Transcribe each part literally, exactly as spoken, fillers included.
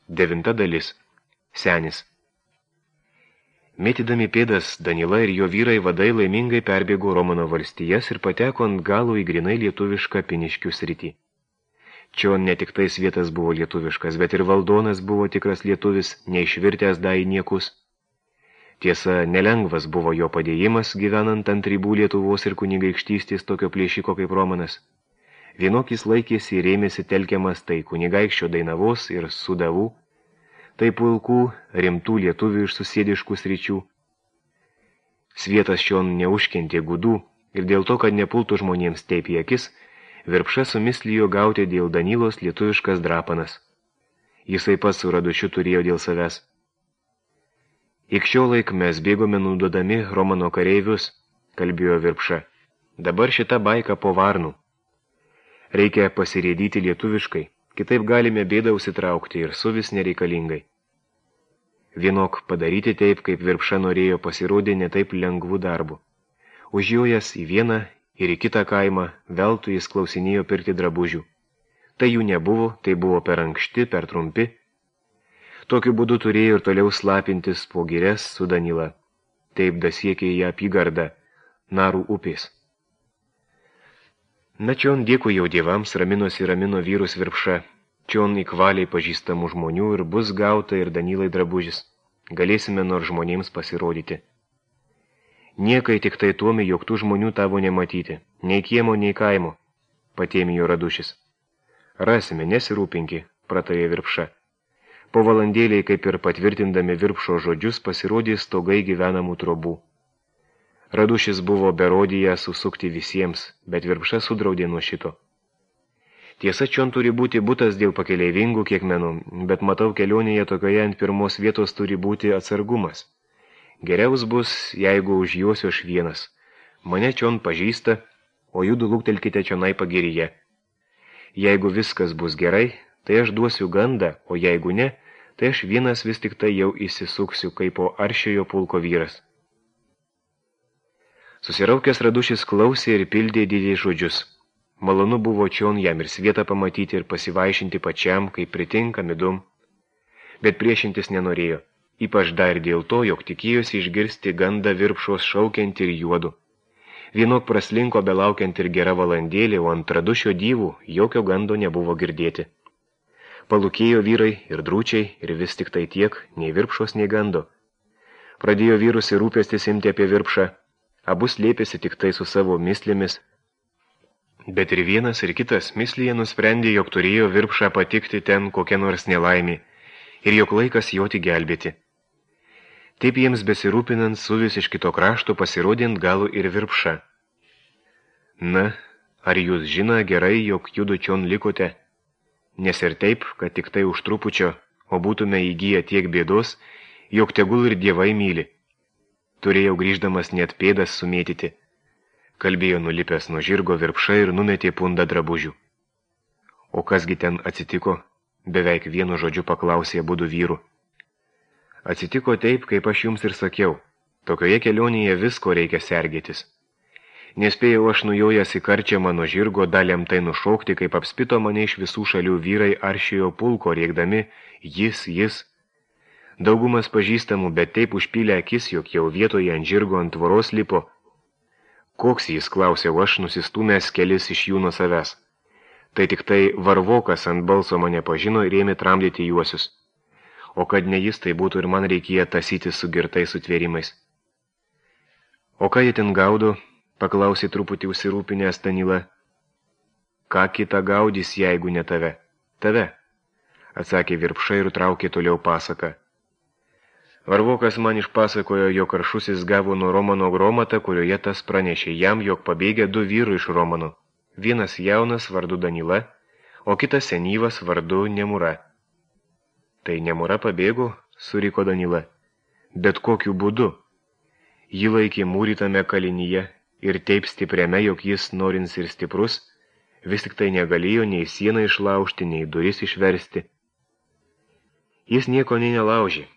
Devinta dalis. Senis. Mėtydami pėdas, Danila ir jo vyrai vadai laimingai perbėgo Romano valstijas ir pateko ant galo į grinai lietuvišką Piniškių sritį. Čia ne tik tais vietas buvo lietuviškas, bet ir valdonas buvo tikras lietuvis, neišvirtęs dai niekus. Tiesa, nelengvas buvo jo padėjimas, gyvenant ant ribų Lietuvos ir kunigaikštystės tokio plėšiko kaip Romanas. Vienokis laikėsi ir ėmėsi telkiamas tai kunigaikščio Dainavos ir Sudavų, tai pulkų rimtų lietuvių iš susėdiškų sričių. Svietas šion neužkentė gudų ir dėl to, kad nepultų žmonėms teip į akis, Virpša sumislijo gauti dėl Danylos lietuviškas drapanas. Jisai pats su Radušiu turėjo dėl savęs. Ik šio laik mes bėgome nudodami Romano kareivius, kalbėjo Virpša. Dabar šita baika po varnų. Reikia pasirėdyti lietuviškai, kitaip galime bėdą užsitraukti ir suvis nereikalingai. Vienok padaryti taip, kaip Virpša norėjo, pasirodė ne taip lengvų darbų. Užjojas į vieną ir į kitą kaimą, veltui jis klausinėjo pirkti drabužių. Tai jų nebuvo, tai buvo per ankšti, per trumpi. Tokiu būdu turėjo ir toliau slapintis po girias su Danila. Taip dasiekė į apygardą Narų upės. Na čion dėkui jau dievams, raminosi ramino vyrus Virpša. Čion įkvaliai pažįstamų žmonių ir bus gauta ir Danilai drabužis. Galėsime nors žmonėms pasirodyti. Niekai tik tai tuomi, jog tų žmonių tavo nematyti, nei kiemo, nei kaimo, patėmijo Radušis. Rasime, nesirūpinki, pratarė Virpša. Po valandėliai, kaip ir patvirtindami Virpšo žodžius, pasirodė stogai gyvenamų trobų. Radušis buvo berodyje susukti visiems, bet Virpša sudraudė nuo šito. Tiesa, čion turi būti butas dėl pakeleivingų kiekmenų, bet matau kelionėje tokioje ant pirmos vietos turi būti atsargumas. Geriaus bus, jeigu užjuosiu aš vienas. Mane čion pažįsta, o judu luktelkite čionai pagiryje. Jeigu viskas bus gerai, tai aš duosiu gandą, o jeigu ne, tai aš vienas vis tik tai jau įsisuksiu kaip po aršiojo pulko vyras. Susiraukęs Radušis klausė ir pildė didžiai žodžius. Malonu buvo čion jam ir svietą pamatyti ir pasivaišinti pačiam, kaip pritinka midum. Bet priešintis nenorėjo. Ypač dar dėl to, jog tikėjosi išgirsti gandą Virpšos šaukiant ir juodu. Vienok praslinko belaukiant ir gera valandėlė, o ant Radušio dyvų jokio gando nebuvo girdėti. Palūkėjo vyrai ir drūčiai ir vis tik tai tiek, nei Virpšos, nei gando. Pradėjo vyrus ir rūpestis imti apie Virpšą, abu slėpėsi tik tai su savo mislėmis. Bet ir vienas ir kitas mislyje nusprendė, jog turėjo Virpšą patikti ten kokia nors nelaimė ir jog laikas joti gelbėti. Taip jiems besirūpinant suvis iš kito krašto pasirodė ant galų ir Virpša. Na, ar jūs žino gerai, jog judu čion likote? Nes ir taip, kad tik tai už trupučio, o būtume įgyję tiek bėdos, jog tegul ir dievai myli. Turėjau grįždamas net pėdas sumėtyti. Kalbėjo nulipęs nuo žirgo Virpša ir numetė pundą drabužių. O kasgi ten atsitiko? Beveik vienu žodžiu paklausė abudu vyrų. Atsitiko taip, kaip aš jums ir sakiau. Tokioje kelionėje visko reikia sergėtis. Nespėjau aš nujojęs į karčią mano žirgo daliam tai nušokti, kaip apspito mane iš visų šalių vyrai aršiojo pulko rėkdami jis, jis. Daugumas pažįstamų, bet taip užpylė akis, jog jau vietoje ant žirgo ant tvoros lipo. Koks jis, klausiau aš, nusistūmęs kelis iš jų nuo savęs. Tai tik tai varvokas ant balso mane pažino ir ėmė tramdyti juosius. O kad ne jis, tai būtų ir man reikėjo tasyti su girtais sutvėrimais. O ką jie ten gaudo? Paklausė truputį užsirūpinęs Danila. Ką kitą gaudys, jeigu ne tave? Tave, atsakė Virpša ir traukė toliau pasaką. Varvokas man išpasakojo, jog Aršusis gavo nuo Romano gromatą, kurioje tas pranešė jam, jog pabėgė du vyrų iš Romano. Vienas jaunas vardu Danila, o kitas senyvas vardu Nemura. Tai Nemura pabėgo, suriko Danila. Bet kokiu būdu? Jį laikė mūrytame kalinyje ir taip stipriame, jog jis, norins ir stiprus, vis tik tai negalėjo nei sieną išlaužti, nei duris išversti. Jis nieko nei nelaužė.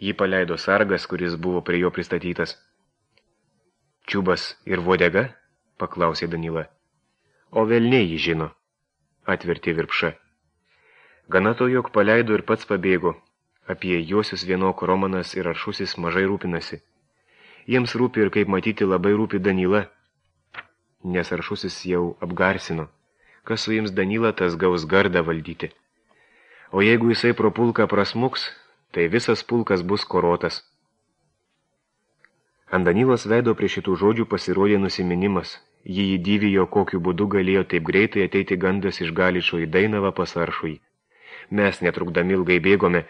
Jį paleido sargas, kuris buvo prie jo pristatytas. Čiubas ir vodega? Paklausė Danila. O velniai jį žino, atvertė Virpša. Gana to, jog paleido ir pats pabėgo. Apie juosius vienok Romanas ir Aršusis mažai rūpinasi. Jiems rūpi ir, kaip matyti, labai rūpi Danila, nes Aršusis jau apgarsino. Kas suims Danilą, tas gaus gardą valdyti. O jeigu jisai pro pulką prasmuks, tai visas pulkas bus korotas. Ant Danilos veido prie šitų žodžių pasirodė nusiminimas. Jį įdyvijo, kokiu būdu galėjo taip greitai ateiti gandas iš Galičo į Dainavą pas Aršųjį. Mes netrukdami ilgai bėgome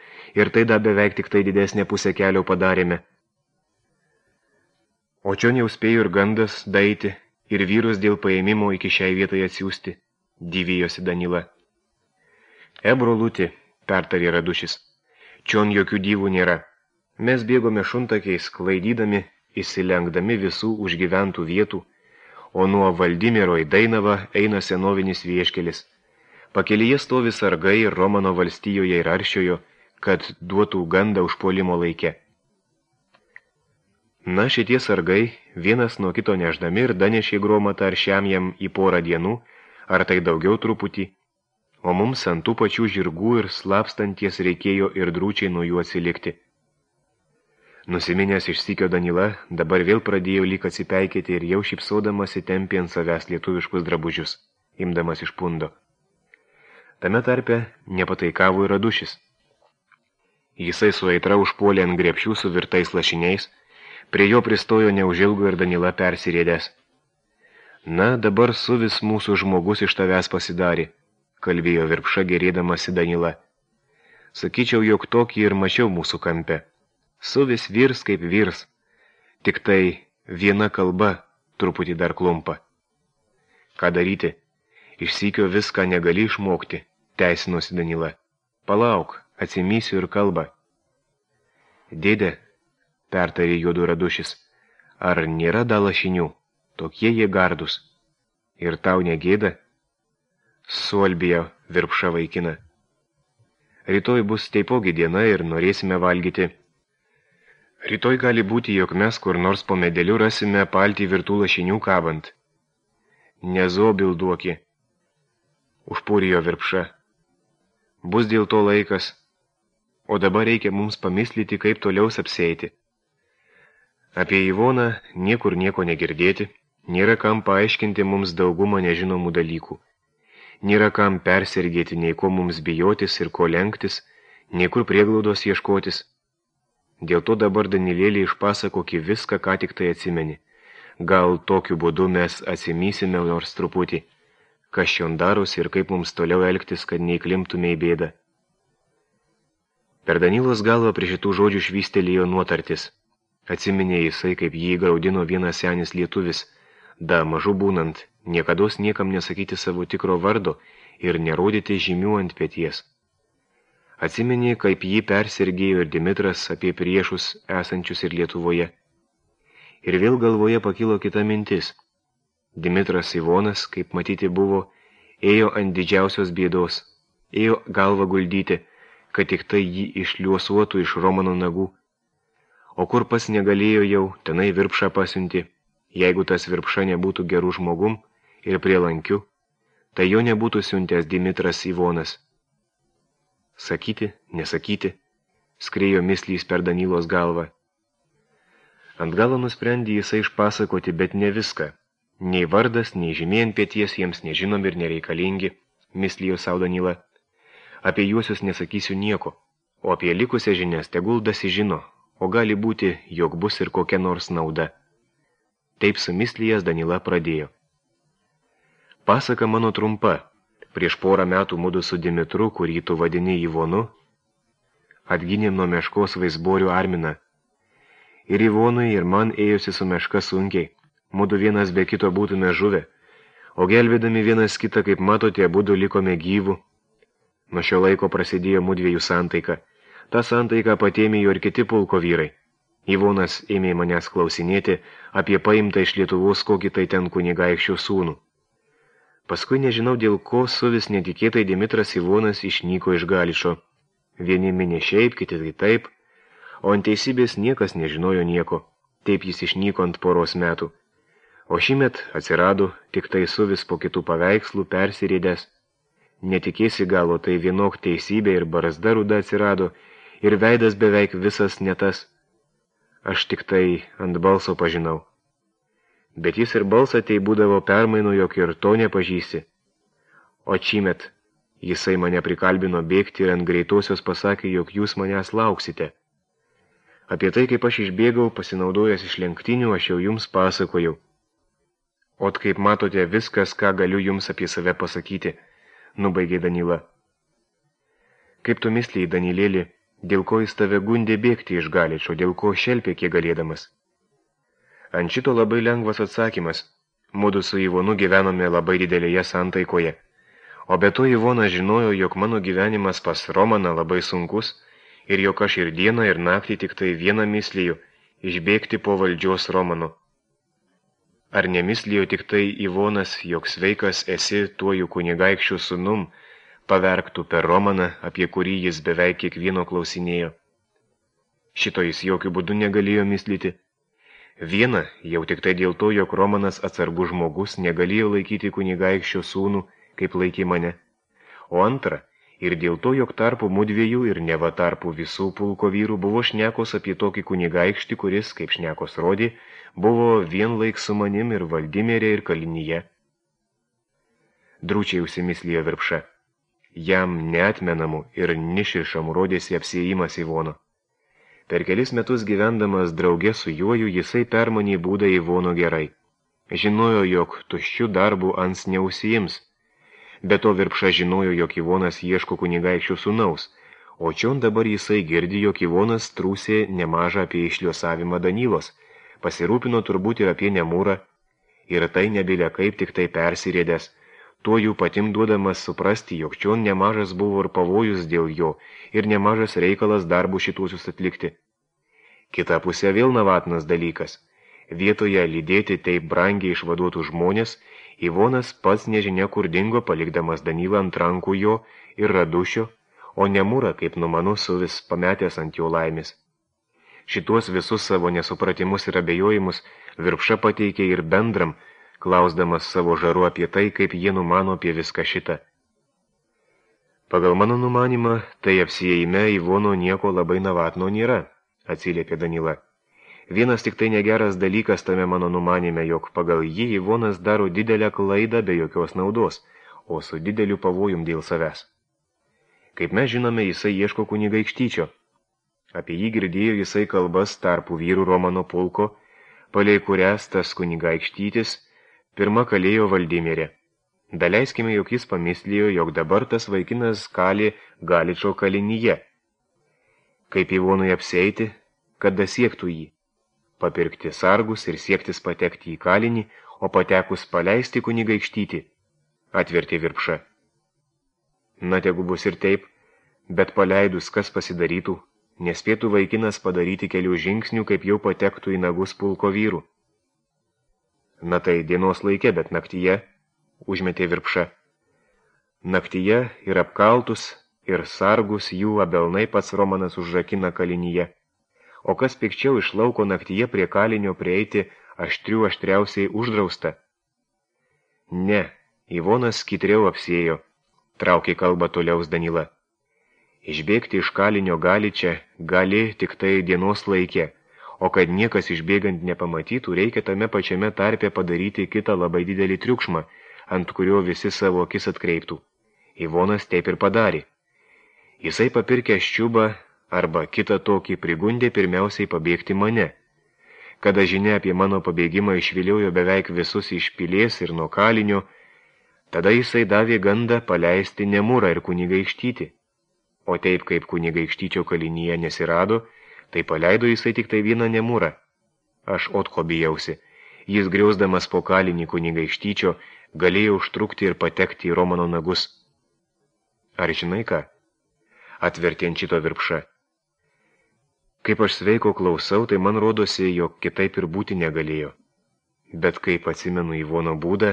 ir tai da beveik tik tai didesnę pusę kelio padarėme. O čion jau spėjo ir gandas daeiti ir vyrus dėl paėmimo iki šiai vietai atsiųsti, dyvijosi Danila. E, broluti, pertarė Radušis, čion jokių dyvų nėra. Mes bėgome šuntakiais, klaidydami, įsilenkdami visų užgyventų vietų, o nuo Valdimiero į Dainavą eina senovinis vieškelis. Pakelyje stovi sargai ir Romano valstijoje ir Aršiojo, kad duotų gandą užpuolimo laike. Na, šitie sargai, vienas nuo kito neždami ir danešė gromatą Aršiam jam į porą dienų, ar tai daugiau truputį, o mums ant tų pačių žirgų ir slapstanties reikėjo ir drūčiai nuo jų atsilikti. Nusiminęs išsikio Danila, dabar vėl pradėjo lyg atsipeikėti ir jau šipsodamasi tempė ant savęs lietuviškus drabužius, imdamas iš pundo. Tame tarpe nepataikavo ir Radušis. Jisai su aitra užpuolė ant grepšių su virtais lašiniais, prie jo pristojo neužilgo ir Danila persirėdęs. Na, dabar suvis mūsų žmogus iš tavęs pasidarė, kalbėjo Virpša gerėdamasi Danila. Sakyčiau, jog tokį ir mačiau mūsų kampe. Suvis virs kaip virs, tik tai viena kalba truputį dar klumpa. Ką daryti? Išsykio viską negali išmokti, teisinosi Danila. Palauk, atsimysiu ir kalbą. Dėde, pertarė juodu Radušis, ar nėra da lašinių, tokie jie gardus. Ir tau negėda? Suolbėjo Virpša vaikina. Rytoj bus taipogi diena ir norėsime valgyti. Rytoj gali būti, jog mes kur nors po medeliu rasime paltį virtų lašinių kabant. Nezobil duoki, užpūrijo Virpša. Bus dėl to laikas, o dabar reikia mums pamislyti, kaip toliau apsėti. Apie Ivoną niekur nieko negirdėti, nėra kam paaiškinti mums daugumą nežinomų dalykų. Nėra kam persergėti, nei ko mums bijotis ir ko lenktis, nei kur prieglaudos ieškotis. Dėl to dabar Danilėlį išpasakoki viską, ką tik tai atsimeni. Gal tokiu būdu mes atsimysime nors truputį, kas šion darosi ir kaip mums toliau elgtis, kad neįklimptume į bėdą. Per Danilos galvą prie šitų žodžių švystelėjo nuotartis. Atsiminė jisai, kaip jį graudino vienas senis lietuvis, da mažu būnant, niekados niekam nesakyti savo tikro vardo ir nerodyti žymių ant peties. Atsiminė, kaip jį persirgėjo ir Dimitras apie priešus esančius ir Lietuvoje. Ir vėl galvoje pakilo kita mintis. Dimitras Ivonas, kaip matyti buvo, ėjo ant didžiausios bėdos, ėjo galvą guldyti, kad tik tai jį išliuosuotų iš Romano nagų. O kur pas negalėjo jau, tenai Virpšą pasiunti. Jeigu tas Virpša nebūtų gerų žmogum ir prielankiu, tai jo nebūtų siuntęs Dimitras Ivonas. Sakyti, nesakyti, skrėjo mislys per Danilos galvą. Ant galo nusprendė jisai išpasakoti, bet ne viską. Nei vardas, nei žymė ant pėties jiems nežinomi ir nereikalingi, mislijo sau Danila. Apie juosius nesakysiu nieko, o apie likusią žinias tegul dasi žino, o gali būti, jog bus ir kokia nors nauda. Taip sumislijęs Danila pradėjo. Pasaka mano trumpa. Prieš porą metų mudu su Dimitru, kurį tu vadini Ivonu, atgynėm nuo meškos vaisborių Arminą. Ir Ivonui, ir man ėjosi su meška sunkiai. Mudu vienas be kito būtume žuvę, o gelbėdami vienas kitą, kaip matote, abudu likome gyvų. Nuo šio laiko prasidėjo mudviejų santaika. Ta santaika patėmėjo ir kiti pulko vyrai. Ivonas ėmė manęs klausinėti apie paimtą iš Lietuvos kokį tai ten kunigaikščio sūnų. Paskui nežinau dėl ko suvis netikėtai Dimitras Ivonas išnyko iš Galičo. Vieni minė šiaip, kiti tai taip, o ant teisybės niekas nežinojo nieko. Taip jis išnyko ant poros metų. O šįmet atsirado tik tai suvis po kitų paveikslų persirėdęs. Netikėsi galo, tai vienok teisybė ir barzda ruda atsirado, ir veidas beveik visas ne tas. Aš tik tai ant balso pažinau. Bet jis ir balsą tai būdavo permainų, jog ir to nepažįsi. O čymet jisai mane prikalbino bėgti ir ant greitosios pasakė, jog jūs manęs lauksite. Apie tai, kaip aš išbėgau, pasinaudojęs iš lenktinių, aš jau jums pasakojau. Ot kaip matote, viskas, ką galiu jums apie save pasakyti, nubaigė Danila. Kaip tu misliai, Danilėlį, dėl ko jis tave gundė bėgti iš Galičo, dėl ko šelpė kiek galėdamas? Ant šito labai lengvas atsakymas. Mudu su Ivonu gyvenome labai didelėje santaikoje. O be to Ivonas žinojo, jog mano gyvenimas pas Romaną labai sunkus ir jog aš ir dieną ir naktį tik tai vieną mislijų išbėgti po valdžios Romano. Ar nemislijo tik tai Ivonas, jog sveikas esi tuoju kunigaikščių sūnum, paverktų per Romaną, apie kurį jis beveik kiekvieno klausinėjo. Šito jis jokių būdų negalėjo mislyti. Viena, jau tik tai dėl to, jog Romanas atsargus žmogus negalėjo laikyti kunigaikščio sūnų, kaip laikė mane. O antra, ir dėl to, jog tarpu mudviejų ir neva tarpu visų pulko vyrų buvo šnekos apie tokį kunigaikštį, kuris, kaip šnekos rodė, buvo vien laik su manim ir Valdimerė ir Kalinyje. Drūčiai užsimislijo Virpša. Jam neatmenamų ir niširšamų rodėsi apsiejimas Ivono. Per kelis metus gyvendamas drauge su juoju, jisai permanė būdą Ivono gerai. Žinojo, jog tuščių darbų ans neužsiims. Be to Virpša žinojo, jog Ivonas ieško kunigaikščių sūnaus, o čion dabar jisai girdi, jog Ivonas trūsė nemažą apie išliosavimą Danilos, pasirūpino turbūt ir apie Nemūrą, ir tai nebilė kaip tik tai persirėdęs, tuo jų patim duodamas suprasti, jog čion nemažas buvo ir pavojus dėl jo, ir nemažas reikalas darbų šituosius atlikti. Kita pusė vėl navatnas dalykas. Vietoje lydėti taip brangiai išvaduotų žmonės, Ivonas pats nežinia kur dingo, palikdamas Danilą ant rankų jo ir Radušio, o Nemūrą, kaip numanu, su vis pametęs ant jo laimės. Šituos visus savo nesupratimus ir abejojimus Virpša pateikė ir bendram, klausdamas savo žaru apie tai, kaip jie numano apie viską šitą. Pagal mano numanimą, tai apsiėjime Ivono nieko labai navatno nėra, atsiliepė Danila. Vienas tik tai negeras dalykas tame mano numanime, jog pagal jį Ivonas daro didelę klaidą be jokios naudos, o su dideliu pavojum dėl savęs. Kaip mes žinome, jisai ieško kunigaikštyčio. Apie jį girdėjo jisai kalbas tarpų vyrų Romano pulko, palei kurias tas kunigaikštytis pirma kalėjo Valdimerė. Daleiskime, jog jis pamislijo, jog dabar tas vaikinas kali Galičo Kalinyje. Kaip Ivonui apsieiti, kad dasiektų jį? Papirkti sargus ir siektis patekti į kalinį, o patekus paleisti kunigaikštytį, atvertė Virpša. Na, tegu bus ir taip, bet paleidus kas pasidarytų, nespėtų vaikinas padaryti kelių žingsnių, kaip jau patektų į nagus pulko vyrų. Na tai dienos laike, bet naktyje, užmetė Virpša. Naktyje ir apkaltus, ir sargus jų abelnai pats Romanas užrakina Kalinyje. O kas pikčiau iš lauko naktyje prie kalinio prieiti aštrių aštriausiai uždrausta? Ne, Ivonas skitriau apsėjo, traukė kalbą toliaus Danila. Išbėgti iš kalinio Galiče gali tik tai dienos laike, o kad niekas išbėgant nepamatytų, reikia tame pačiame tarpe padaryti kitą labai didelį triukšmą, ant kurio visi savo akis atkreiptų. Ivonas taip ir padarė. Jisai papirkė ščiubą, arba kitą tokį prigundė pirmiausiai pabėgti mane. Kada žinia apie mano pabėgimą išviliojo beveik visus iš pilies ir nuo kalinio, tada jisai davė gandą paleisti Nemūrą ir kunigaikštytį. O taip kaip kunigaikštyčio Kalinyje nesirado, tai paleido jisai tik tai vieną Nemūrą. Aš otko bijausi. Jis griausdamas po kalinį kunigaikštyčio galėjo užtrukti ir patekti į Romano nagus. Ar žinai ką? Atvertė ant šito Virpša. Kaip aš sveiko klausau, tai man rodosi, jog kitaip ir būti negalėjo. Bet kaip atsimenu Ivono būdą,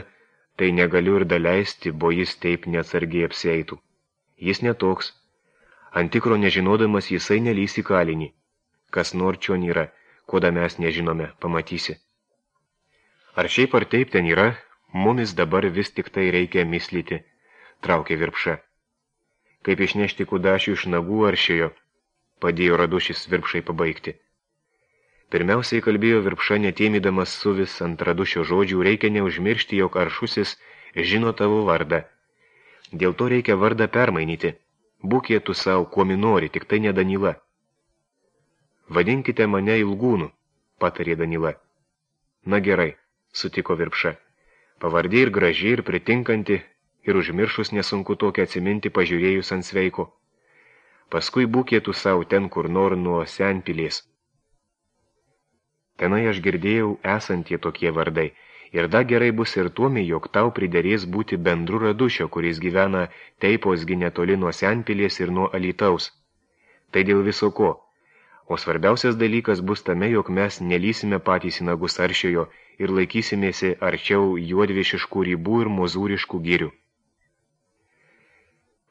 tai negaliu ir daleisti, bo jis taip neatsargiai apsieitų. Jis netoks. Ant tikro nežinodamas jisai nelys į kalinį. Kas nor čion yra, ko da mes nežinome, pamatysi. Ar šiaip ar taip ten yra, mumis dabar vis tik tai reikia mislyti. traukė Virpša. Kaip išnešti kudašių iš nagų aršiojo, padėjo Radušis Virpšai pabaigti. Pirmiausiai kalbėjo Virpša, netėmydamas suvis ant Radušio žodžių, reikia neužmiršti, jog Aršusis žino tavo vardą. Dėl to reikia vardą permainyti. Būkė tu savo, kuo minori, tik tai ne Danila. Vadinkite mane Ilgūnu, patarė Danila. Na gerai, sutiko Virpša. Pavardė ir graži, ir pritinkanti, ir užmiršus nesunku tokią atsiminti pažiūrėjus ant sveiko. Paskui būkė tu savo ten, kur nor nuo Senpilės. Tenai aš girdėjau esantie tokie vardai, ir da gerai bus ir tuomi, jog tau priderės būti bendru Radušio, kuris gyvena Teipos netoli nuo Senpilės ir nuo Alytaus. Tai dėl viso ko. O svarbiausias dalykas bus tame, jog mes nelysime patys į nagus Aršiojo ir laikysimėsi arčiau juodvišiškų ribų ir mozūriškų girių.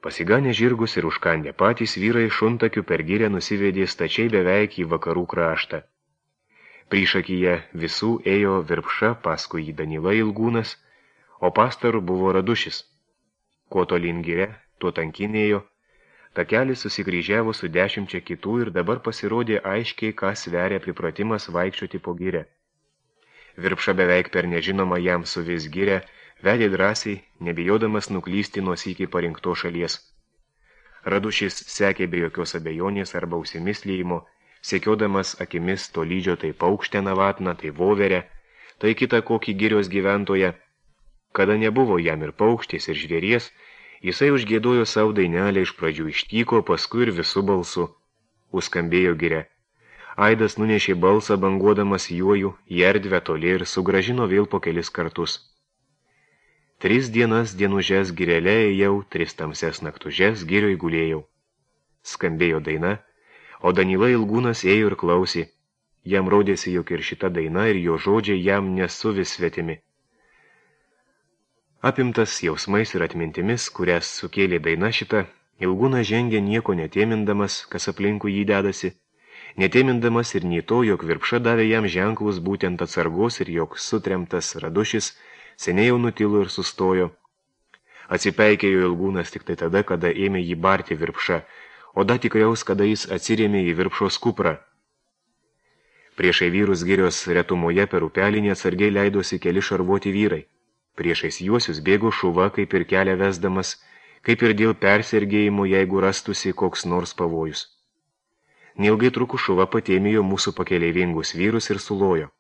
Pasiganę žirgus ir užkandę patys vyrai šuntakių per girę nusivedė stačiai beveik į vakarų kraštą. Priešakyje visų ėjo Virpša, paskui jį Danila Ilgūnas, o pastaru buvo Radušis. Kuo tolyn gire, tuo tankinėjo, takelis susikryžiavo su dešimčia kitų ir dabar pasirodė aiškiai, ką sveria pripratimas vaikščioti po girę. Virpša beveik per nežinomą jam su vis girę, vedė drąsiai, nebijodamas nuklysti nuo sykį parinkto šalies. Radušis sekė be jokios abejonės arba užsimislėjimo, sekiodamas akimis to lydžio tai paukštę navatną, tai voverę, tai kitą kokį girios gyventoją. Kada nebuvo jam ir paukštės, ir žvėries, jisai užgiedojo savo dainelę, iš pradžių ištyko, paskui ir visų balsu. Užskambėjo giria. Aidas nunešė balsą banguodamas juojų į erdvę toli ir sugražino vėl po kelis kartus. Tris dienas dienužes girelė ėjau, tris tamses naktužes girioj gulėjau. Skambėjo daina, o Danila Ilgūnas ėjo ir klausė. Jam rodėsi, jog ir šita daina ir jo žodžiai jam nesu vis svetimi. Apimtas jausmais ir atmintimis, kurias sukėlė daina šita, Ilgūnas žengė nieko netėmindamas, kas aplinkui jį dedasi, netėmindamas ir nei to, jog Virpša davė jam ženklus būtent atsargos ir jog sutremtas Radušis seniai jau nutilo ir sustojo. Atsipeikėjo Ilgūnas tik tai tada, kada ėmė jį barti Virpša, o da tikriaus, kada jis atsirėmė į Virpšos kuprą. Priešai vyrus girios retumoje per upelį neatsargiai leidosi keli šarvuoti vyrai. Priešais juosius bėgo šuva, kaip ir kelią vesdamas, kaip ir dėl persergėjimo, jeigu rastusi koks nors pavojus. Neilgai trukus šuva patėmėjo mūsų pakeleivingus vyrus ir sulojo.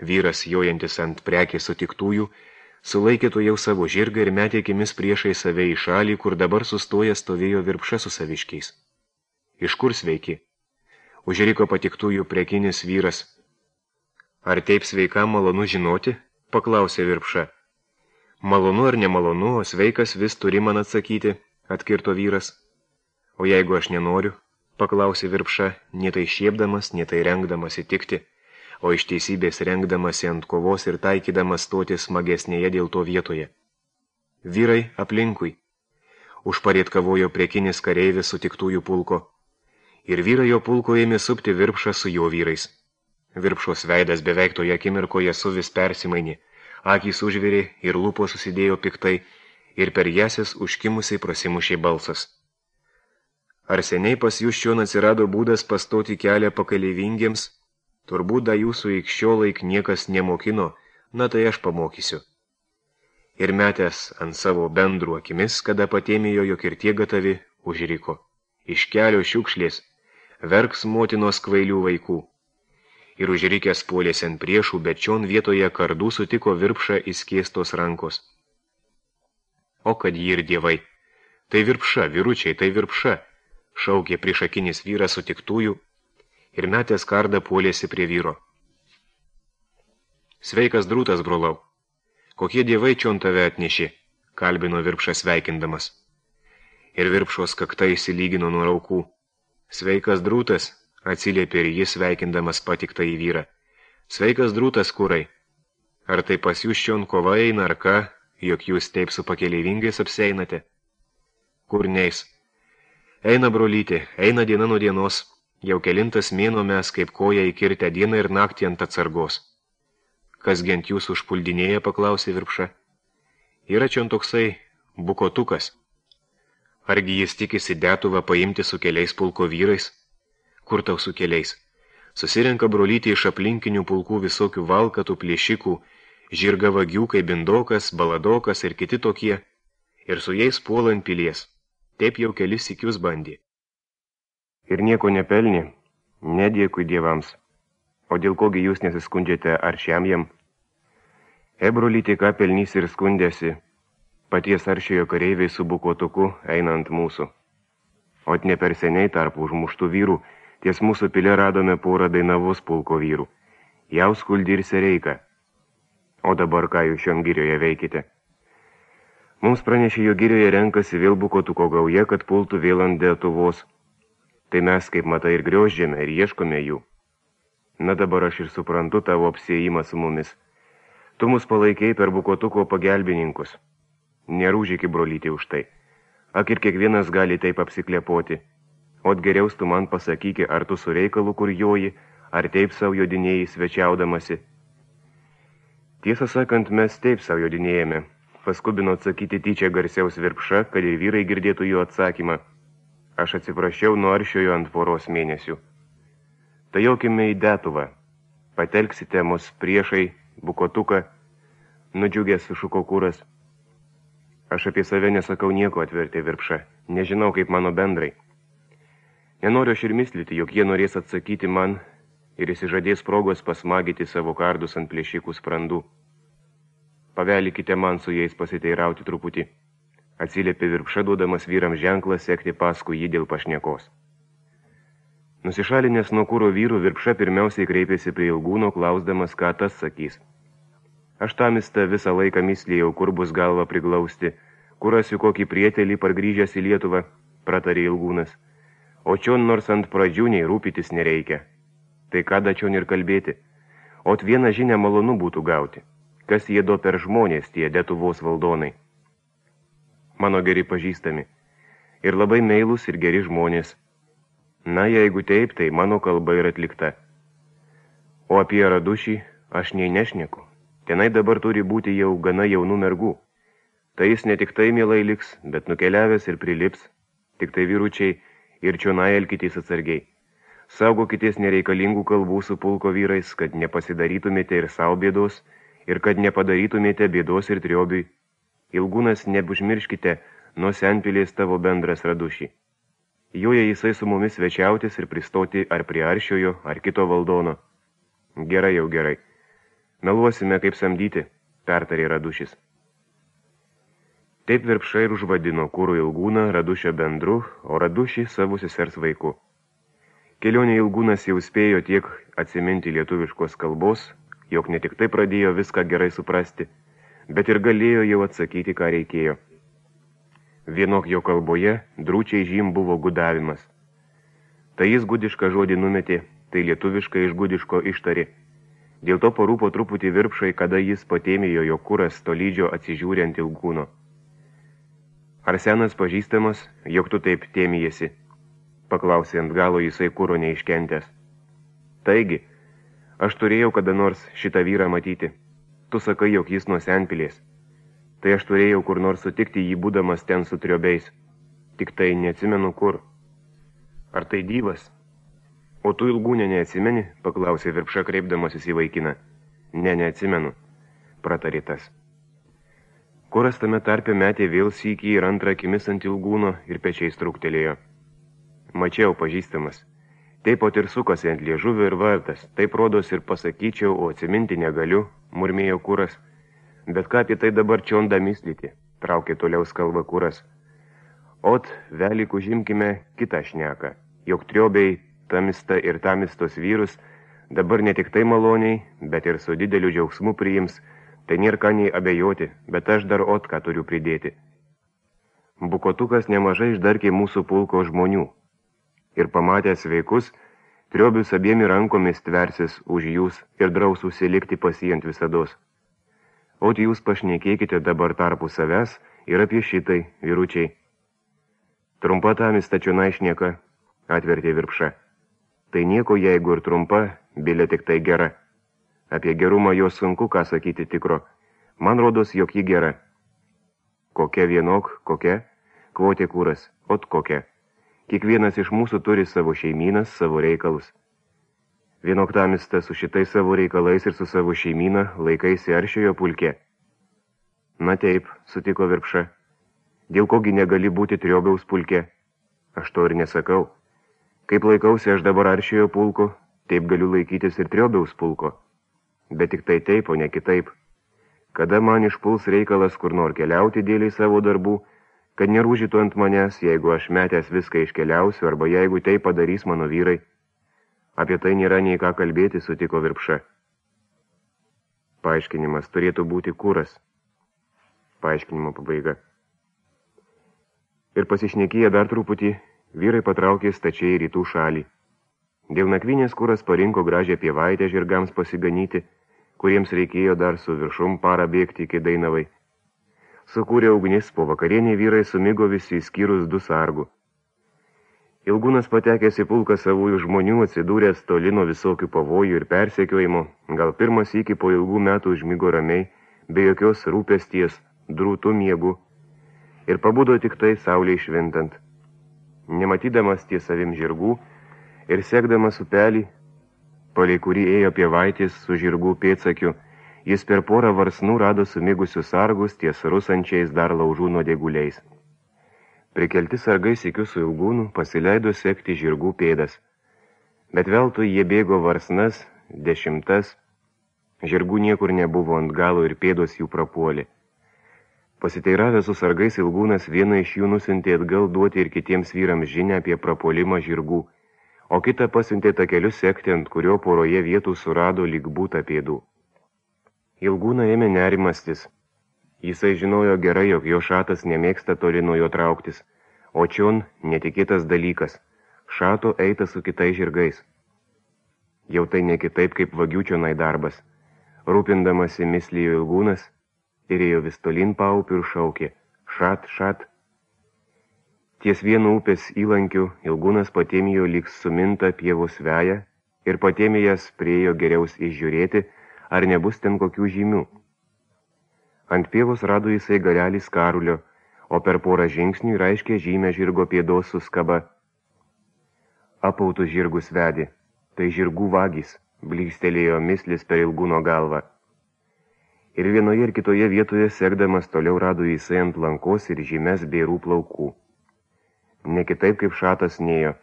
Vyras, jojantis ant prekės sutiktųjų, sulaikė to jau savo žirgą ir metė akimis priešai save į šalį, kur dabar sustoja stovėjo Virpša su saviškiais. Iš kur sveiki? Užriko patiktųjų prekinis vyras. Ar taip sveikam malonu žinoti? Paklausė Virpša. Malonu ar nemalonu, o sveikas vis turi man atsakyti, atkirto vyras. O jeigu aš nenoriu? Paklausė Virpša, nie tai šiepdamas, nie tai rengdamas įtikti, o iš teisybės rengdamasi ant kovos ir taikydamas stoti smagesnėje dėl to vietoje. Vyrai aplinkui. Užparėt kavojo prekinis kareivis sutiktųjų pulko. Ir vyrai jo pulko ėmė supti Virpšą su jo vyrais. Virpšos veidas beveik toje akimirkoje suvis persimainė, akys užvirė ir lūpos susidėjo piktai, ir per jasis užkimusiai prasimušė balsas. Ar seniai pas jūs čion atsirado būdas pastoti kelią pakeleivingiems? Turbūt da jūsų iki šiolaik niekas nemokino, na tai aš pamokysiu. Ir metęs ant savo bendrų akimis, kada patėmėjo, jog ir tie gatavi, užriko. Iš kelio šiukšlės, verks motinos kvailių vaikų. Ir užrikęs puolėsi ant priešų, bet čion vietoje kardų sutiko Virpšą įskėstos rankos. O kad jį ir dievai. Tai Virpša, vyručiai, tai Virpša, šaukė priešakinis vyras sutiktųjų, ir metęs kardą puolėsi prie vyro. Sveikas drūtas, brolau. Kokie dievai čion tave atnešė, kalbino Virpšas sveikindamas. Ir Virpšos kakta įsilygino nuo raukų. Sveikas drūtas, atsiliepė ir jis sveikindamas patiktą į vyrą. Sveikas drūtas, kurai. Ar tai pas jūs čion kova eina, ar ką, jog jūs taip su pakeleivingais apseinate? Kur neis? Eina brolytė, eina diena nuo dienos. Jau kelintas mėnuo mes kaip koja įkirtę dieną ir naktį ant atsargos. Kas gent jūsų užpuldinėja, paklausė Virpša. Yra čion toksai Bukotukas. Argi jis tikisi Detuvą paimti su keliais pulko vyrais? Kur tau su keliais? Susirenka brolyti iš aplinkinių pulkų visokių valkatų, plėšikų, žirgavagių kaip Bindokas, Baladokas ir kiti tokie, ir su jais puolant pilies. Taip jau kelis sykius bandė. Ir nieko nepelnė, nedėkui dievams. O dėl kogi jūs nesiskundžiate aršiam jam? Ebrolyti ką pelnys ir skundėsi, paties aršiojo kareiviai su Bukotuku einant mūsų. Ot ne per seniai tarp užmuštų vyrų, ties mūsų pilė radome porą Dainavos pulko vyrų. Jauskuldį ir Sereiką. O dabar ką jūs šiom girioje veikite? Mums pranešė, jo girioje renkasi vėl Bukotuko gauja, kad pultų vėl ant Detuvos. Tai mes, kaip matai, ir grioždžiame ir ieškome jų. Na dabar aš ir suprantu tavo apsiėjimą su mumis. Tu mus palaikiai per Bukotuko pagelbininkus. Nerūžyki, brolyti, už tai. Ak ir kiekvienas gali taip apsiklepoti. Ot geriaus tu man pasakyki, ar tu su reikalu kur joji, ar taip savo jodinėjai svečiaudamasi. Tiesą sakant, mes taip savo jodinėjame. Paskubino atsakyti tyčia garsiaus Virpša, kad ir vyrai girdėtų jų atsakymą. Aš atsiprašiau nuo aršiojo ant poros mėnesių. Tai jaukime į Detuvą. Patelksite mus priešai, Bukotuką, nudžiugęs sušuko Kuras. Aš apie save nesakau nieko, atvertė Virpša. Nežinau, kaip mano bendrai. Nenoriu aš ir mislyti, jog jie norės atsakyti man ir įsižadės progos pasmagyti savo kardus ant plėšikų sprandų. Pavelikite man su jais pasiteirauti truputį. Atsiliepė Virpša, duodamas vyrams ženklą sekti paskui jį dėl pašnekos. Nusišalinęs nuo Kuro vyrų, Virpša pirmiausiai kreipėsi prie Ilgūno, klausdamas, ką tas sakys. Aš tamistą visą laiką mislėjau, kur bus galva priglausti, kur rasiu kokį prietelį pargrįžęs į Lietuvą, pratarė Ilgūnas. O čion nors ant pradžių nei rūpytis nereikia. Tai ką dačion ir kalbėti. Ot vieną žinią malonu būtų gauti. Kas jie do per žmonės tie Detuvos valdonai. Mano geri pažįstami. Ir labai meilūs ir geri žmonės. Na, jeigu taip, tai mano kalba yra atlikta. O apie Radušį aš nei nešneku. Tenai dabar turi būti jau gana jaunų mergų. Tai jis ne tik tai mielai liks, bet nukeliavęs ir prilips. Tik tai vyručiai ir čionai elkitės atsargiai. Saugokitės nereikalingų kalbų su pulko vyrais, kad nepasidarytumėte ir savo bėdos, ir kad nepadarytumėte bėdos ir triobiui. Ilgūnas, neužmirškite, nuo senpilės tavo bendras Radušį. Joje jisai su mumis svečiautis ir pristoti ar prie aršiojo, ar kito valdono. Gerai jau gerai. Meluosime kaip samdyti, pertarė Radušis. Taip Virpša ir užvadino Kuro Ilgūną Radušio bendru, o Radušį savo sesers vaiku. Kelionė Ilgūnas jau spėjo tiek atsiminti lietuviškos kalbos, jog ne tik tai pradėjo viską gerai suprasti, bet ir galėjo jau atsakyti, ką reikėjo. Vienok jo kalboje drūčiai žym buvo gudavimas. Tai jis gudišką žodį numetė, tai lietuviškai iš gudiško ištarė. Dėl to parūpo truputį Virpšai, kada jis patėmėjo jo Kuras tolydžio atsižiūrint Ilgūno. Ar senas pažįstamas, jog tu taip tėmijasi? Paklausė ant galo jisai Kuro neiškentęs. Taigi, aš turėjau kada nors šitą vyrą matyti. Tu sakai, jog jis nuo senpilės. Tai aš turėjau kur nors sutikti jį būdamas ten su triobiais. Tik tai neatsimenu kur. Ar tai Dyvas? O tu Ilgūnė neatsimeni? Paklausė Virpša kreipdamasis į vaikiną. Ne, neatsimenu, pratarė tas. Kuras tame tarpe metė vėl sykį ir antrą akimis ant Ilgūno ir pečiais trūktelėjo. Mačiau, pažįstamas. Taip pat ir sukasi ant liežuvio ir vardas. Taip rodos ir pasakyčiau, o atsiminti negaliu, murmėjo Kuras. Bet ką apie tai dabar čion damislyti, traukė toliau skalba Kuras. Ot, velik užimkime kitą šneką, jog triobiai tamista ir tamistos vyrus dabar ne tik tai maloniai, bet ir su dideliu džiaugsmu priims, tai nėra ką nei abejoti, bet aš dar ot ką turiu pridėti. Bukotukas nemažai išdarkė mūsų pulko žmonių. Ir pamatęs vaikus, triobius abiem rankomis tversis už jūs ir draus užsilikti pasijant visados. Ot jūs pašnekėkite dabar tarpu savęs ir apie šitai, vyručiai. Trumpa tamista čionai šneka, atvertė Virpša. Tai nieko, jeigu ir trumpa, bilė tik tai gera. Apie gerumą jos sunku ką sakyti tikro. Man rodos, jog ji gera. kokia vienok, kokia, kvotė kūras, ot kokia. Kiekvienas iš mūsų turi savo šeimynas, savo reikalus. Vienok tamistas su šitais savo reikalais ir su savo šeimyna laikaisi aršiojo pulke. Na taip, sutiko Virpša. Dėl kogi negali būti Triobiaus pulke? Aš to ir nesakau. Kaip laikausi aš dabar aršiojo pulko, taip galiu laikytis ir Triobiaus pulko. Bet tik tai taip, o ne kitaip. Kada man išpuls reikalas kur nor keliauti dėliai savo darbų, kad nerūžytų ant manęs, jeigu aš metęs viską iškeliausiu, arba jeigu tai padarys mano vyrai. Apie tai nėra nei ką kalbėti, sutiko Virpša. Paaiškinimas turėtų būti kūras. Paaiškinimo pabaiga. Ir pasišnekėję dar truputį, vyrai patraukė stačiai į rytų šalį. Dėl nakvynės kūras parinko gražią pievaitę žirgams pasiganyti, kuriems reikėjo dar su viršum parą bėgti iki Dainavai. Sukūrė ugnis, po vakarienį vyrai sumigo visi išskyrus du sargų. Ilgūnas patekęs į pulką savųjų žmonių atsidūręs toli nuo visokių pavojų ir persekiojimo, gal pirmas iki po ilgų metų užmigo ramiai, be jokios rūpesties, drūtų miegų, ir pabudo tik tai saulei švintant. Nematydamas ties savim žirgų ir sekdamas upelį, palei kurį ėjo pievaitės su žirgų pėdsakiu, jis per porą varsnų rado sumigusius sargus ties rusančiais dar laužų nuodėguliais. Prikelti sargai sykiu su Ilgūnu pasileido sekti žirgų pėdas. Bet veltui jie bėgo varsnas, dešimtas, žirgų niekur nebuvo ant galo ir pėdos jų prapuolė. Pasiteiravęs su sargais Ilgūnas vieną iš jų nusintė atgal duoti ir kitiems vyrams žinią apie prapuolimą žirgų, o kitą pasiuntė takeliu sekti, ant kurio poroje vietų surado lyg būta pėdų. Ilgūną ėmė nerimastis. Jisai žinojo gerai, jog jo šatas nemėgsta toli nuo jo trauktis, o čion netikėtas dalykas – šato eita su kitais žirgais. Jau tai ne kitaip kaip vagių čionai darbas. Rūpindamasi mislijo Ilgūnas ir ėjo vis tolin paupių ir šaukė – šat, šat. Ties vienu upės įlankiu Ilgūnas patėmijo lyg suminta pievos veja ir patėmėjęs priejo geriaus išžiūrėti, ar nebus ten kokių žymių. Ant pievos rado jisai galelį skarulio, o per porą žingsnių raiškė žymę žirgo pėdos su skaba. Apautus žirgus vedė, tai žirgų vagys, blykstelėjo mislis per Ilgūno galvą. Ir vienoje ir kitoje vietoje sekdamas toliau rado jisai ant lankos ir žymes bėrų plaukų. Ne kitaip kaip šatas nėjo,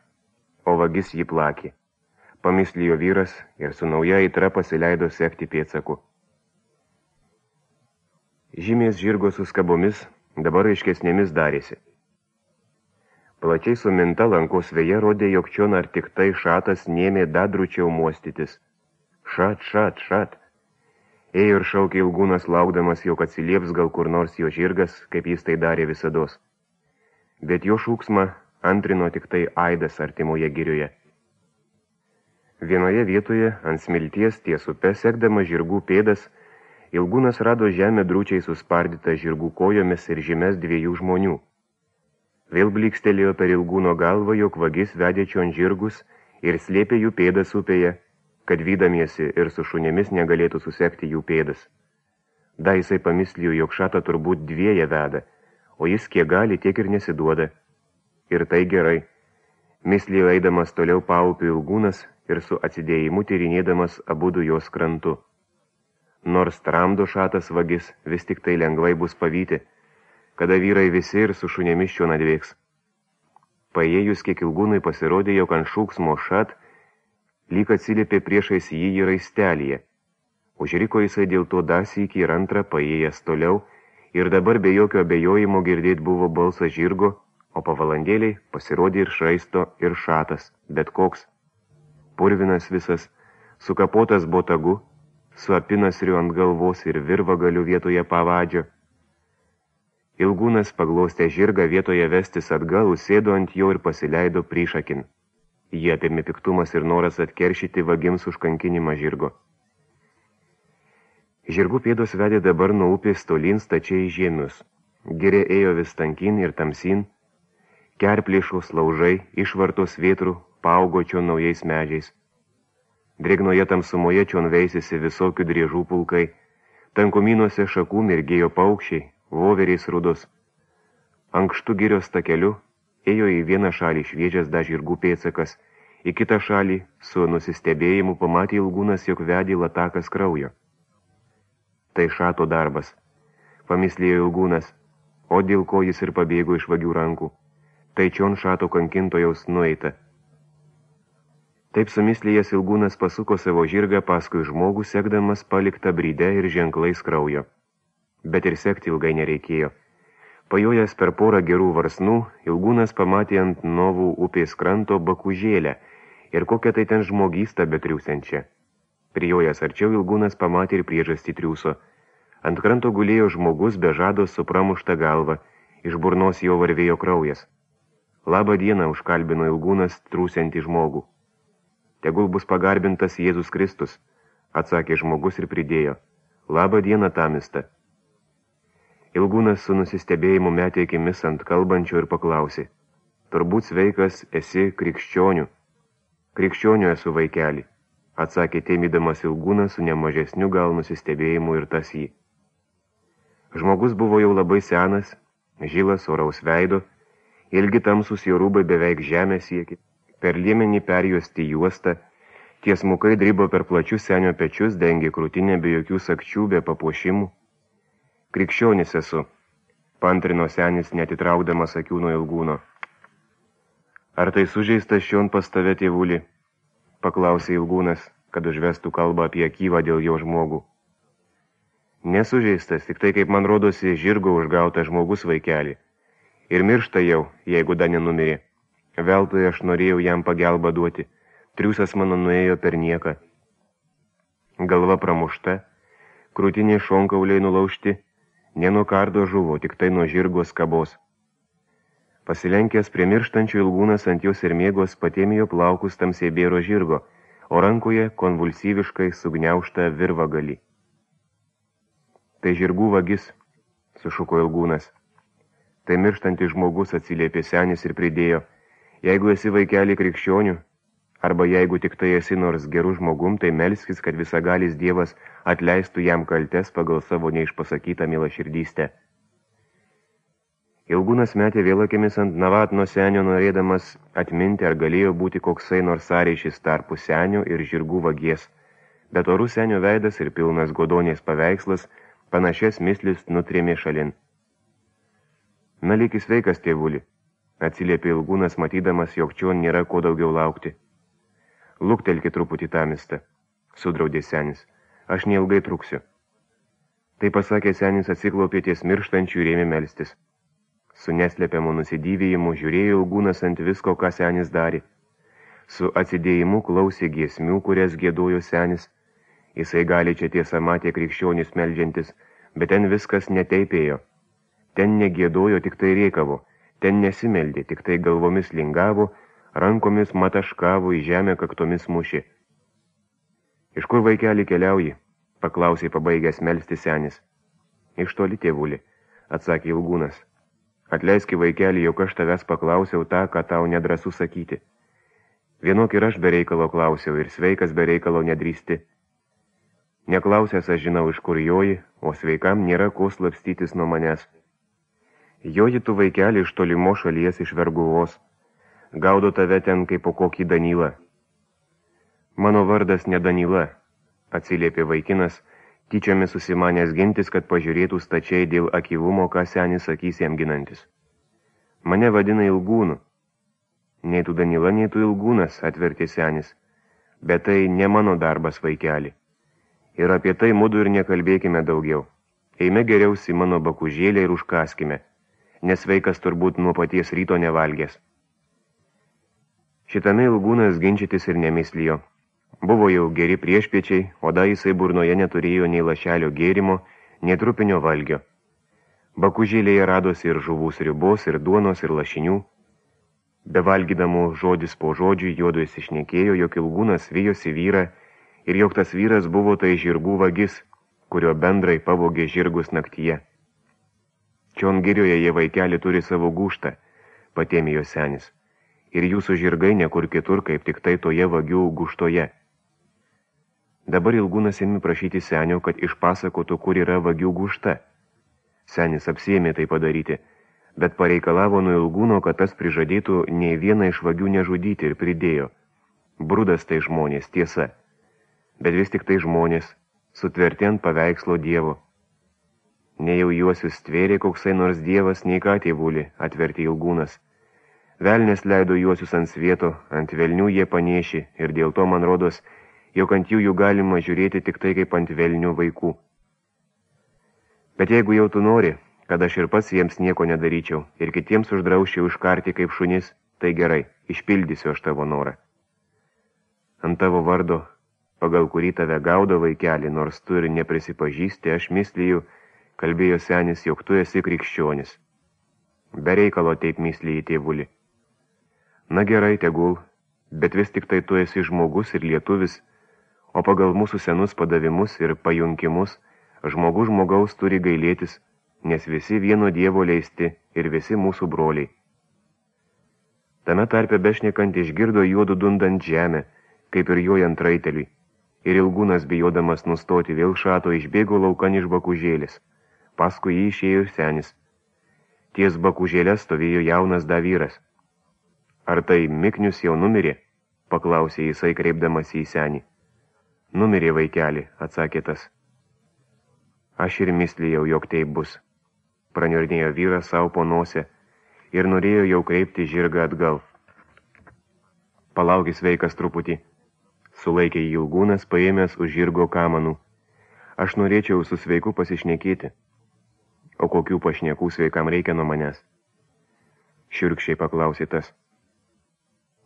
o vagis jį plakė. Pamislijo vyras ir su nauja aitra pasileido sekti pėdsakų. Žymės žirgo su skabomis dabar aiškesnėmis darėsi. Plačiai suminta lankos veja rodė, jog čion ar tik tai šatas nėmė dadručiau muostytis. Šat, šat, šat. Ėjo ir šaukė Ilgūnas, laukdamas, jog atsilieps gal kur nors jo žirgas, kaip jis tai darė visados. Bet jo šūksmą antrino tik tai aidas artimoje girioje. Vienoje vietoje ant smilties ties upe sekdama žirgų pėdas, Ilgūnas rado žemę drūčiai suspardytą žirgų kojomis ir žymes dviejų žmonių. Vėl blykstelėjo per Ilgūno galvą, jog vagis vedė čion žirgus ir slėpė jų pėdas upėje, kad vydamiesi ir su šunėmis negalėtų susekti jų pėdas. Da jisai pamislijo, jog šatą turbūt dvieja veda, o jis kiek gali, tiek ir nesiduoda. Ir tai gerai. Mislijo eidamas toliau paupių Ilgūnas ir su atsidėjimu tyrinėdamas abudu jos krantu. Nors tramdo šatas vagis, vis tik tai lengvai bus pavyti, kada vyrai visi ir su šunėmis čion atvyks. Paėjus kiek Ilgūnui pasirodė, jog ant šūksmo šat lyg atsiliepė priešais jį į raistelyje. Užriko jisai dėl to dar sykį ir antrą paėjęs toliau ir dabar be jokio abejojimo girdėt buvo balsas žirgo, o po valandėliai pasirodė ir šraisto ir šatas, bet koks. Purvinas visas, sukapotas botagu, su apinasriu ant galvos ir virvagaliu vietoje pavadžio. Ilgūnas paglostė žirgą vietoje vestis atgal, sėdo ant jo ir pasileido prišakin. Jie apėmė piktumas ir noras atkeršyti vagims už kankinimą žirgo. Žirgų pėdos vedė dabar nuo upės tolyn stačiai žemius. Giria ėjo vis tankin ir tamsin, kerplėšos laužai, išvartos vėtrų, paaugo čion naujais medžiais. Drėgnoje tamsumoje čion veisėsi visokių driežų pulkai, tankumynuose šakų mirgėjo paukščiai, voveriais rudos, Ankštų girios takeliu ėjo į vieną šalį šviežias da žirgų pėdsakas, į kitą šalį su nusistebėjimu pamatė Ilgūnas, jog vedė latakas kraujo. Tai šato darbas, pamislėjo Ilgūnas, o dėl ko jis ir pabėgo iš vagių rankų. Tai čion šato kankintojaus nueita. Taip sumislėjęs Ilgūnas pasuko savo žirgą paskui žmogų, sekdamas paliktą brydę ir ženklais kraujo. Bet ir sekti ilgai nereikėjo. Pajojęs per porą gerų varsnų, Ilgūnas pamatė ant Novų upės kranto bakužėlę ir kokią tai ten žmogystą betriūsiančią. Prijojęs arčiau Ilgūnas pamatė ir priežastį triūso. Ant kranto gulėjo žmogus be žados su pramušta galva, iš burnos jo varvėjo kraujas. Labą dieną, užkalbino Ilgūnas trūsiantį žmogų. Tegul bus pagarbintas Jėzus Kristus, atsakė žmogus ir pridėjo. Labą dieną, tamista. Ilgūnas su nusistebėjimu metė akimis ant kalbančio ir paklausė. Turbūt sveikas esi krikščionių. Krikščionių esu, vaikeli, atsakė teimydamas Ilgūnas su nemažesniu gal nusistebėjimu ir tas jį. Žmogus buvo jau labai senas, žilas, oraus veido, ilgi tamsus jo rūbai beveik žemę siekė. Per liemenį perjuosti juostą, tiesmukai drybo per plačius senio pečius, dengė krūtinę be jokių sakčių, be papuošimų. Krikščionis esu, pantrino senis netitraukdamas akių nuo Ilgūno. Ar tai sužeistas šion pas tave, tėvuli? Paklausė Ilgūnas, kad užvestų kalbą apie Kyvą dėl jo žmogų. Nesužeistas, tik tai, kaip man rodosi, žirgo užgautas žmogus, vaikeli. Ir miršta jau, jeigu da nenumirė. Veltui aš norėjau jam pagelbą duoti, triūsas mano nuėjo per nieką. Galva pramušta, krūtiniai šonkauliai nulaužti, ne nuo kardo žuvo, tik tai nuo žirgo skabos. Pasilenkęs prie mirštančio Ilgūnas ant jos ir mėgos patėmėjo plaukus tamsiai bėro žirgo, o rankoje konvulsyviškai sugniaužta virvagalį. Tai žirgų vagis, sušuko Ilgūnas. Tai mirštantis žmogus, atsiliepė senis ir pridėjo. Jeigu esi vaikelį krikščionių, arba jeigu tik tai esi nors gerų žmogum, tai melskis, kad visagalis Dievas atleistų jam kaltes pagal savo neišpasakytą milaširdystę. Ilgūnas metė vėl akimis ant Navatno senio, norėdamas atminti, ar galėjo būti koksai nors sąryšis tarpu senio ir žirgų vagies, bet orų senio veidas ir pilnas godonės paveikslas panašias mislis nutrėmė šalin. Na, likis sveikas, tėvuli, atsiliepė Ilgūnas, matydamas, jog čion nėra ko daugiau laukti. Luktelki truputį tamistą, sudraudė senis, aš neilgai truksiu. Tai pasakė senis, atsiklaupė ties mirštančių ir ėmė melstis. Su neslėpiamu nusidyvėjimu žiūrėjo Ilgūnas ant visko, ką senis darė. Su atsidėjimu klausė giesmių, kurias giedojo senis. Jisai gali čia tiesa matė krikščionis meldžiantis, bet ten viskas neteipėjo. Ten negiedojo, tik tai rėkavo. Ten nesimeldė, tik tai galvomis lingavo, rankomis mataškavo, į žemę kaktomis mušė. Iš kur, vaikeli, keliauji? Paklausė pabaigęs melsti senis. Iš toli, tėvuli, atsakė Ilgūnas. Atleiski, vaikeli, jog aš tavęs paklausiau tą, ką tau nedrąsu sakyti. Vienok ir aš be reikalo klausiau, ir sveikas be reikalo nedrįsti. Neklausęs aš žinau, iš kur joji, o sveikam nėra ko slapstytis nuo manęs. Joji tu, vaikeli, iš tolimo šalies iš Verguvos. Gaudo tave ten kaip po kokį Danylą. Mano vardas ne Danila, atsiliepė vaikinas, tyčiomis susimanęs gintis, kad pažiūrėtų stačiai dėl akyvumo, ką senis sakys jam ginantis. Mane vadina Ilgūnu. Nei tu Danila, nei tu Ilgūnas, atvertė senis. Bet tai ne mano darbas, vaikeli. Ir apie tai mudu ir nekalbėkime daugiau. Eime geriausi mano bakužėlę ir užkaskime, nes vaikas turbūt nuo paties ryto nevalgęs. Šitame Ilgūnas ginčytis ir nemislijo. Buvo jau geri priešpiečiai, o da jisai burnoje neturėjo nei lašelio gėrimo, nei trupinio valgio. Bakužėlėje radosi ir žuvų sriubos, ir duonos, ir lašinių. Bevalgydamų žodis po žodžių juodu įsišnekėjo, jog Ilgūnas vijosi vyrą ir jog tas vyras buvo tai žirgų vagis, kurio bendrai pavogė žirgus naktyje. Čion girioje jie vaikeli turi savo gūštą, patėmė jo senis, ir jūsų žirgai nekur kitur, kaip tik tai toje vagių gūštoje. Dabar Ilgūnas ėmė prašyti senio, kad išpasakotų, kur yra vagių gūšta. Senis apsiėmė tai padaryti, bet pareikalavo nuo Ilgūno, kad tas prižadėtų nei vieną iš vagių nežudyti ir pridėjo. Brudas tai žmonės, tiesa, bet vis tik tai žmonės, sutverti ant paveikslo Dievo. Nei jau juosius stvėrė koksai nors dievas, nei ką tėvulį, atvertė Ilgūnas. Velnės leido juosius ant svieto, ant velnių jie panėši, ir dėl to man rodos, jog ant jų jų galima žiūrėti tik tai kaip ant velnių vaikų. Bet jeigu jau tu nori, kad aš ir pats jiems nieko nedaryčiau, ir kitiems uždrauščiau iškarti kaip šunis, tai gerai, išpildysiu aš tavo norą. Ant tavo vardo, pagal kurį tave gaudo vaikelį, nors tu ir neprisipažįsti, aš mislyju, kalbėjo senis, jog tu esi krikščionis. Be reikalo taip mislyji tėvulį. Na gerai, tegul, bet vis tik tai tu esi žmogus ir lietuvis, o pagal mūsų senus padavimus ir pajunkimus, žmogus žmogaus turi gailėtis, nes visi vieno Dievo leisti ir visi mūsų broliai. Tame tarpe bešnekant išgirdo juodu dundant žemę, kaip ir jojant raiteliui, ir Ilgūnas bijodamas nustoti vėl šato išbėgo laukan iš bakužėlės. Paskui jį išėjo senis. Ties bakužėlė stovėjo jaunas davyras. Ar tai Miknius jau numirė? Paklausė jisai kreipdamas į senį. Numirė vaikelį, atsakė tas. Aš ir mislijau, jog taip bus. Praniurnėjo vyras savo po nosę ir norėjo jau kreipti žirgą atgal. Palaukis veikas truputį. Sulaikė Ilgūnas, paėmęs už žirgo kamanų. Aš norėčiau su sveiku pasišnekėti. O kokių pašnekų sveikam reikia nuo manęs? Šiurkščiai paklausė tas.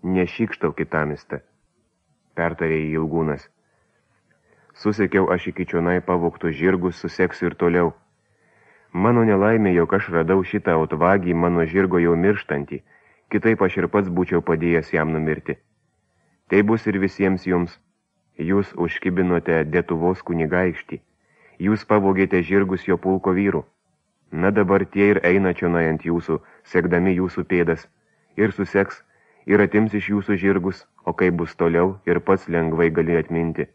Nešykštau kitamistą, pertarė Ilgūnas. Susekiau aš iki čionai pavogtų žirgus, suseksiu ir toliau. Mano nelaimė, jog aš radau šitą otvagį mano žirgo jau mirštantį, kitaip aš ir pats būčiau padėjęs jam numirti. Tai bus ir visiems jums. Jūs užkibinote Detuvos kunigaikštį. Jūs pavogėte žirgus jo pulko vyrų. Na dabar tie ir eina čionai ant jūsų, sekdami jūsų pėdas, ir suseks, ir atims iš jūsų žirgus, o kaip bus toliau, ir pats lengvai gali atminti.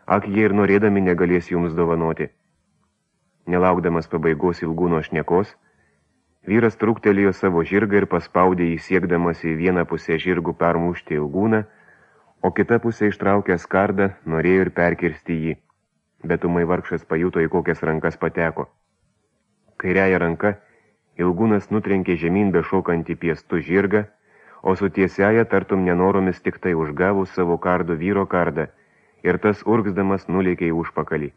Ak, jie ir norėdami negalės jums dovanoti. Nelaukdamas pabaigos Ilgūno šnekos, vyras trūktelėjo savo žirgą ir paspaudė jį siekdamas į vieną pusę žirgų permušti Ilgūną, o kita pusė ištraukęs kardą norėjo ir perkirsti jį, bet ūmai vargšas pajuto, į kokias rankas pateko. Kairiąja ranka Ilgūnas nutrenkė žemyn bešokantį piestų žirgą, o su tiesiaja tartum nenoromis tik tai užgavus savo kardo vyro kardą, ir tas urgzdamas nulėkė į užpakalį.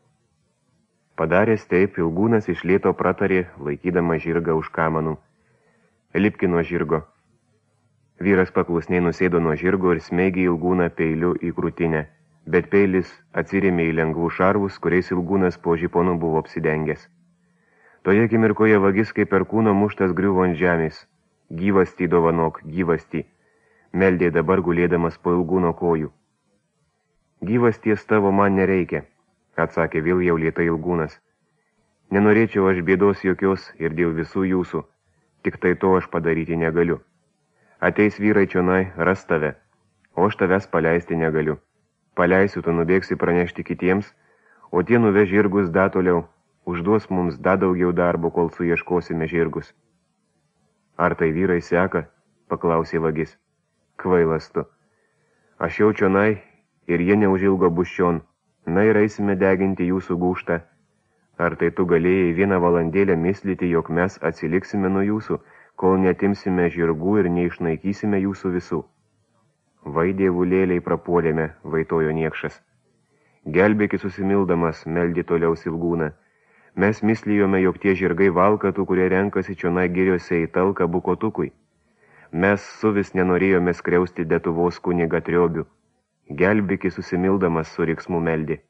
Padaręs taip, Ilgūnas iš lėto pratarė, laikydama žirgą už kamanų. Lipki nuo žirgo. Vyras paklusniai nusėdo nuo žirgo ir smeigė Ilgūną peiliu į krūtinę, bet peilis atsirėmė į lengvų šarvus, kuriais Ilgūnas po žiponu buvo apsidengęs. Toje akimirkoje vagis kaip per kūno muštas griuvo ant žemės. Gyvastį dovanok, gyvastį, meldė dabar gulėdamas po Ilgūno kojų. Gyvasties tavo man nereikia, atsakė vėl jau lėtai Ilgūnas. Nenorėčiau aš bėdos jokios ir dėl visų jūsų, tik tai to aš padaryti negaliu. Ateis vyrai čionai, ras tave, o aš tavęs paleisti negaliu. Paleisiu, tu nubėgsi pranešti kitiems, o tie nuveš žirgus da toliau. Užduos mums da daugiau darbo, kol suieškosime žirgus. Ar tai vyrai seka? Paklausė vagis. Kvailas tu. Aš jau čionai ir jie neužilgo bus čion. Na ir eisime deginti jūsų gūštą. Ar tai tu galėjai vieną valandėlę mislyti, jog mes atsiliksime nuo jūsų, kol netimsime žirgų ir neišnaikysime jūsų visų? Vai dievulėliai prapuolėme, vaitojo niekšas. Gelbėki susimildamas, meldė toliau Ilgūną. Mes mislijome, jog tie žirgai valkatų, kurie renkasi čionai giriose į talką bukotukui. Mes suvis nenorėjome skriausti Detuvos kunigą Triobių. Gelbėki susimildamas su riksmu meldė.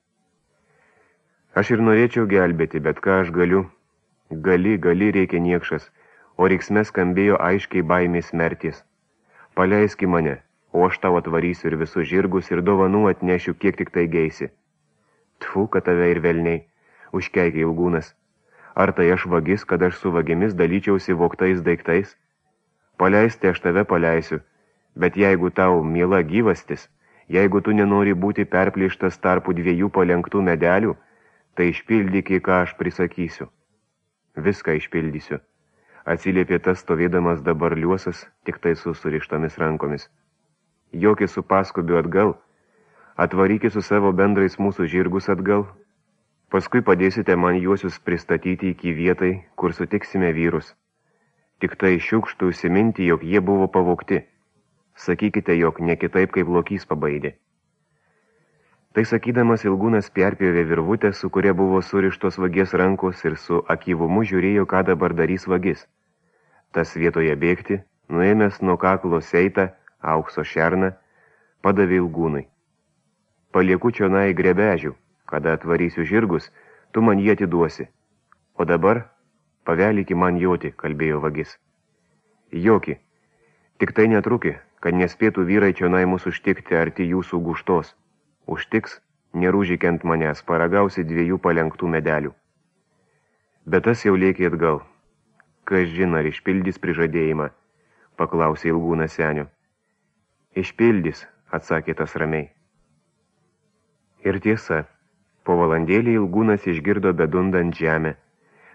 Aš ir norėčiau gelbėti, bet ką aš galiu? Gali, gali, reikia niekšas, o riksme skambėjo aiškiai baimės merties. Paleiski mane, o aš tau atvarysiu ir visus žirgus ir dovanų atnešiu, kiek tik tai geisi. Tfu, kad tave ir velniai. Užkeikė Ilgūnas. Ar tai aš vagis, kad aš su vagimis dalyčiausi vogtais daiktais? Paleisti aš tave paleisiu, bet jeigu tau miela gyvastis, jeigu tu nenori būti perplėštas tarpų dviejų palenktų medelių, tai išpildyk, ką aš prisakysiu. Viską išpildysiu. atsiliepė tas stovėdamas dabar liuosas, tik tai su surištomis rankomis. Joki su paskubiu atgal, atvarykit su savo bendrais mūsų žirgus atgal, paskui padėsite man juosius pristatyti iki vietai, kur sutiksime vyrus. Tik tai šiukštų užsiminti, jog jie buvo pavogti. Sakykite, jog ne kitaip kaip lokys pabaidė. Tai sakydamas Ilgūnas perpjovė virvutę, su kuria buvo surištos vagės rankos ir su akyvumu žiūrėjo, ką dabar darys vagis. Tas vietoje bėgti, nuėmęs nuo kaklo seitą, aukso šerną, padavė Ilgūnui. Palieku čionai grebežių, kada atvarysiu žirgus, tu man jį atiduosi. O dabar paveliki man joti, kalbėjo vagis. Joki, tik tai netruki, kad nespėtų vyrai čionai mūsų užtikti arti jūsų guštos. Užtiks, nerūžikiant manęs, paragausi dviejų palenktų medelių. Bet tas jau lėkė atgal. Kas žino, ar išpildys prižadėjimą, paklausė Ilgūnas senio. Išpildys, atsakė tas ramiai. Ir tiesa, po valandėlį Ilgūnas išgirdo bedundant žemę.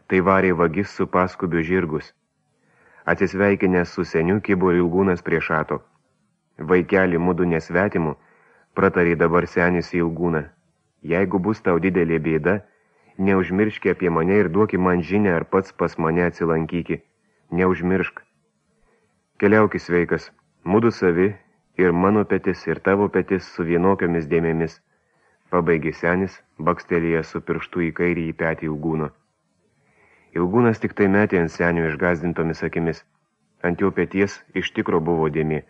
Tai varė vagis su paskubiu žirgus. Atsisveikinęs su seniu kibo Ilgūnas prie šato. Vaikelį mudu nesvetimu, pratarė dabar senis į Ilgūną. Jeigu bus tau didelė bėda, neužmirški apie mane ir duoki man žinę, ar pats pas mane atsilankyki. Neužmiršk. Keliauki sveikas, mudu savi, ir mano petis, ir tavo petis su vienokiomis dėmėmis. Pabaigė senis, bakstelėjęs su pirštu į kairį į petį Ilgūno. Ilgūnas tik tai metė ant senio išgazdintomis akimis. Ant jo peties iš tikro buvo dėmė,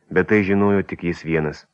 bet tai žinojo tik jis vienas.